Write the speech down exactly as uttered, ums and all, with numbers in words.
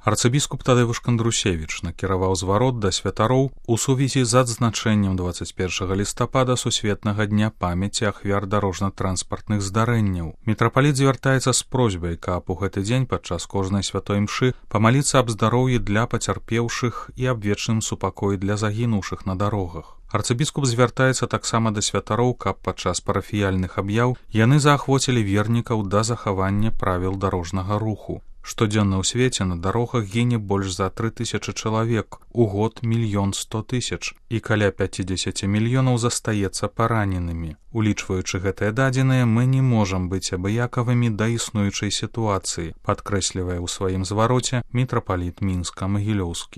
Арцыбіскуп Тадeusz Кандрусевіч накіраваў зварот да святароў у сувязі з адзначэннем дваццаць першага лістапада сусветнага дня памяці ахвяр дарожна-транспартных здарэнняў. Мітрапаліт звяртаецца з просьбай, каб у гэты дзень падчас кожнай святой імшы памаліцца аб здароўі для пацярпеўшых і аб вечным супакоі для загінуўшых на дарогах. Арцыбіскуп звяртаецца таксама да святароў, каб падчас парафіяльных аб'яў яны заахвоцілі вернікаў да захавання правіл дарожнага руху. Штодзённа ў свеце на дарогах гіне больш за тры тысячы чалавек, у год мільён сто тысяч, і каля пяцьдзесят мільёнаў застаецца параненымі. Улічваючы гэтыя дадзеныя, мы не можам быць абыякавымі да існуючай сітуацыі, падкрэслівае ў сваім звароце мітрапаліт Мінска-Магілёўскі.